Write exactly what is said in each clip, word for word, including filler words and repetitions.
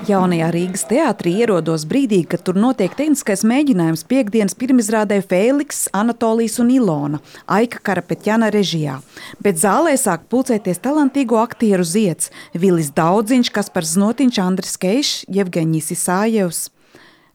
Jaunajā Rīgas teātrī ierodos brīdī, kad tur notiek tehniskais mēģinājums piekdienas pirmizrādē Fēliks, Anatolijas un Ilona, Aika Karapetjana režijā. Bet zālē sāk pulcēties talantīgo aktieru zieds – Vilis Daudziņš, Kaspars Znotiņš, Andris Keišs, Jevgeņijs Isājevs.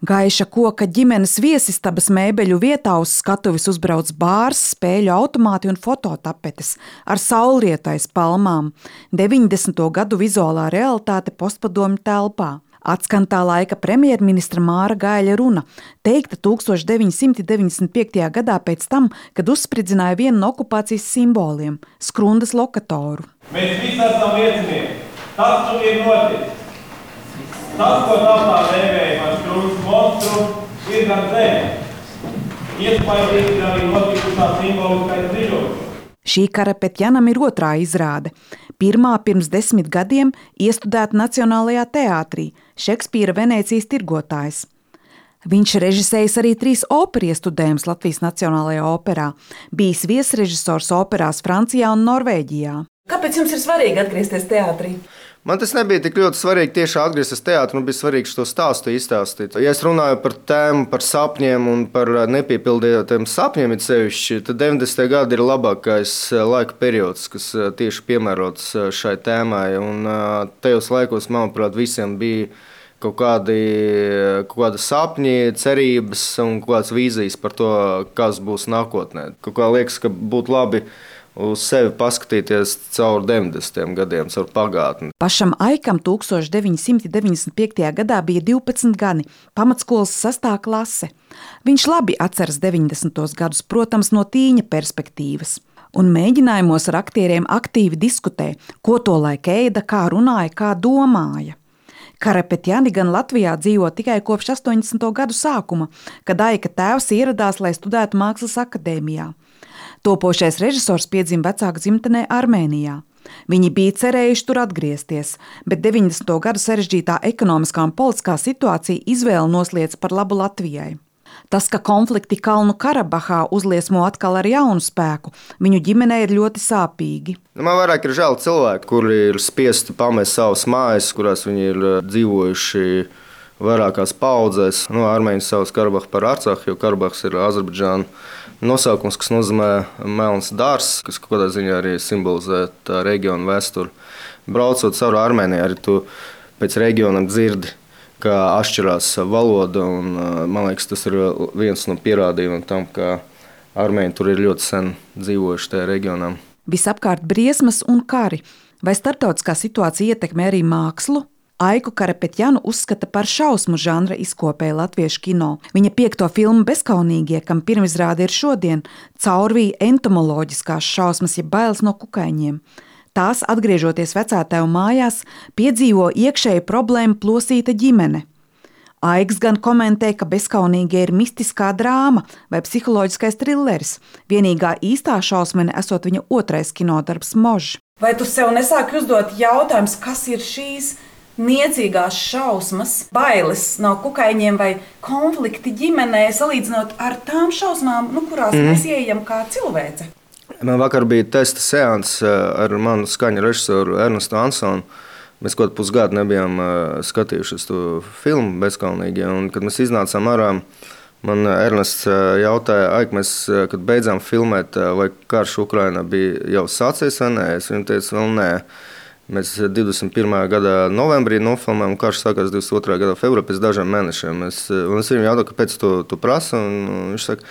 Gaiša koka ģimenes viesistabas mēbeļu vietā uz skatuves uzbrauc bārs, spēļu automāti un fototapetes ar saulrietais palmām. deviņdesmito gadu vizuālā realitāte postpadomju telpā. Atskan tā laika premjerministra Māra Gaļa runa, teikta tūkstoš deviņsimt deviņdesmit piektajā gadā pēc tam, kad uzspridzināja vienu no okupācijas simboliem – Skrundas lokatoru. Mēs visi esam liecinieki. Tas nu ir noticis. Tas, ko tautā dēvēja par Skrundas monstru, ir gan zeme. Iespaidīgi ir arī notikušā simboliskais dziļums. Šī Karapetjanam ir otrā izrāde. Pirmā pirms desmit gadiem iestudēta Nacionālajā teātrī – Šekspīra Venēcijas tirgotājs. Viņš režisējis arī trīs operu iestudējumus Latvijas Nacionālajā operā, bijis viesrežisors operās Francijā un Norvēģijā. Kāpēc jums ir svarīgi atgriezties teātrī? Man tas nebija tik ļoti svarīgi tieši atgriezties teātrī, man bija svarīgi šo stāstu izstāstīt. Ja es runāju par tēmu, par sapņiem un par nepiepildītiem sapņiem, it sevišķi, tad deviņdesmitie gadi ir labākais laika periods, kas tieši piemērots šai tēmai. Un tajos laikos, manuprāt, visiem bija kaut kādi, kaut kādi sapņi, cerības un kaut kādas vīzijas par to, kas būs nākotnē. Kaut kā liekas, ka būtu labi uz sevi paskatīties caur deviņdesmitiem gadiem, caur pagātni. Pašam Aikam tūkstoš deviņsimt deviņdesmit piektajā gadā bija divpadsmit gadi, pamatskolas sastā klase. Viņš labi atceras deviņdesmitos gadus, protams, no tīņa perspektīvas. Un mēģinājumos ar aktieriem aktīvi diskutē, ko to laik ēda, kā runāja, kā domāja. Karapetjani gan Latvijā dzīvo tikai kopš astoņdesmito gadu sākuma, kad Aika tēvs ieradās, lai studētu Mākslas akadēmijā. Topošais režisors piedzima vecāku dzimtenē Armēnijā. Viņi bija cerējuši tur atgriezties, bet deviņdesmito gadu sarežģītā ekonomiskā un politiskā situācija izvēli nosliec par labu Latvijai. Tas, ka konflikti Kalnu Karabahā uzliesmo atkal ar jaunu spēku, viņu ģimenei ir ļoti sāpīgi. Man vairāk ir žēl cilvēki, kuri ir spiesti pamest savas mājas, kurās viņi ir dzīvojuši vairākās paudzēs. No Armēņas sauc Karabahu par Arcahu, jo Karabahs ir Azerbaidžāna nosaukums, kas nozīmē melns dārzs, kas kaut kādā ziņā arī simbolizē tā reģiona vēsturi. Braucot cauri Armēnijai, arī tu pēc reģionam dzirdi, kā atšķirās valoda, un man liekas, tas ir viens no pierādījumiem tam, ka Armēņi tur ir ļoti sen dzīvojuši tajā reģionā. Visapkārt briesmas un kari. Vai starptautiskā situācija ietekmē arī mākslu? Aiku Karapetjanu uzskata par šausmu žanra izkopēju latviešu kino. Viņa piekto filmu Bezkaunīgie, kam pirmizrāde ir šodien, caurvīja entomoloģiskās šausmas, ja bailes no kukaiņiem. Tās, atgriežoties vecātēvu mājās, piedzīvo iekšēju problēmu plosīta ģimene. Aiks gan komentē, ka Bezkaunīgie ir mistiskā drāma vai psiholoģiskais trilleris. Vienīgā īstā šausmene esot viņa otrais kinodarbs Možs. Vai tu sev nesāki uzdot jautājums, kas ir šīs niecīgās šausmas, bailes no kukaiņiem vai konflikti ģimenē, salīdzinot ar tām šausmām, nu, kurās mm. mēs ieejam kā cilvēce? Man vakar bija testa seans ar manu skaņu režisoru Ernestu Ansonu. Mēs kaut pusgadu nebijām skatījušies to filmu Bezkaunīgie, un kad mēs iznācām ārā, man Ernests jautāja, Aik, mēs, kad beidzām filmēt, vai karš Ukrainā bija jau sācies vai nē? Es viņam teicu, vēl nē. Mēs divdesmit pirmajā gadā novembrī nofilmējām, un karš sākās divdesmit otrajā gadā februārī pēc dažiem mēnešiem. Es, un es viņam jautāju, kāpēc tu, tu prasa, un viņš saka,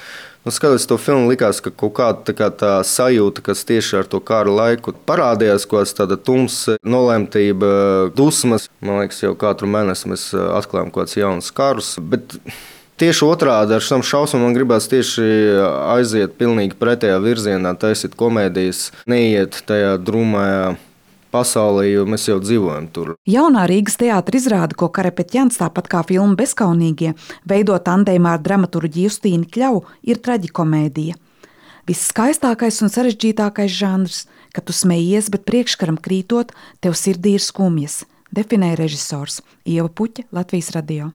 nu, skatoties to filmu, likās, ka kaut kāda tā, kā tā sajūta, kas tieši ar to kara laiku parādījās, kaut kāds tāda tumsa, nolemtība, dusmas. Man liekas, jau katru mēnesi mēs atklājam kaut kāds jauns karus, bet tieši otrādi ar šām šausmām man gribās tieši aiziet pilnīgi pretējā virzienā, taisīt komēdijas, neiet tajā drūmajā pasaulē, jo mēs jau dzīvojam tur. Jaunā Rīgas teātra izrāde, ko Karapetjans, tāpat kā filma Bezkaunīgie, veido tandēmā ar dramaturģi Justīnu Kļavu, ir traģikomēdija. Viss skaistākais un sarežģītākais žanrs, kad tu smejies, bet priekškaram krītot, tev sirdī ir skumjas, definēja režisors Ieva Puķa, Latvijas radio.